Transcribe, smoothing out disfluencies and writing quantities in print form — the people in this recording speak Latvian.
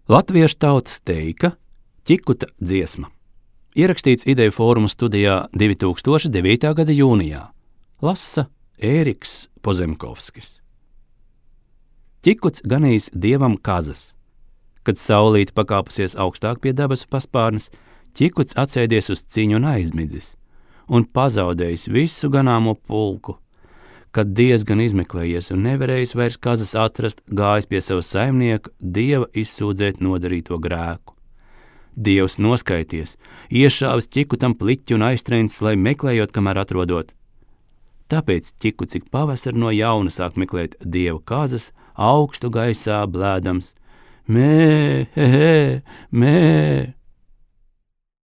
Latviešu tautas teika Ķikuta dziesma. Ierakstīts Ideju fóruma studijā 2009. gada jūnijā. Lasa Ēriks Pozemkovskis. Ķikuts ganījis dievam kazas. Kad saulīte pakāpusies augstāk pie debesu paspārnes, Ķikuts atsēdies uz ciņu un aizmidzis, un pazaudējis visu ganāmo pulku. Kad diezgan izmeklējies un nevarējis vairs kazas atrast, gājis pie sava saimnieka dieva izsūdzēt nodarīto grēku. Dievs noskaities, iešāvis Ķikutam pliķi un aiztrēncis, lai meklējot, kamēr atrodot. Tāpēc Ķikuts ik pavasar no jauna sāk meklēt dieva kazas, augstu gaisā blēdams: mē, he, he, mē.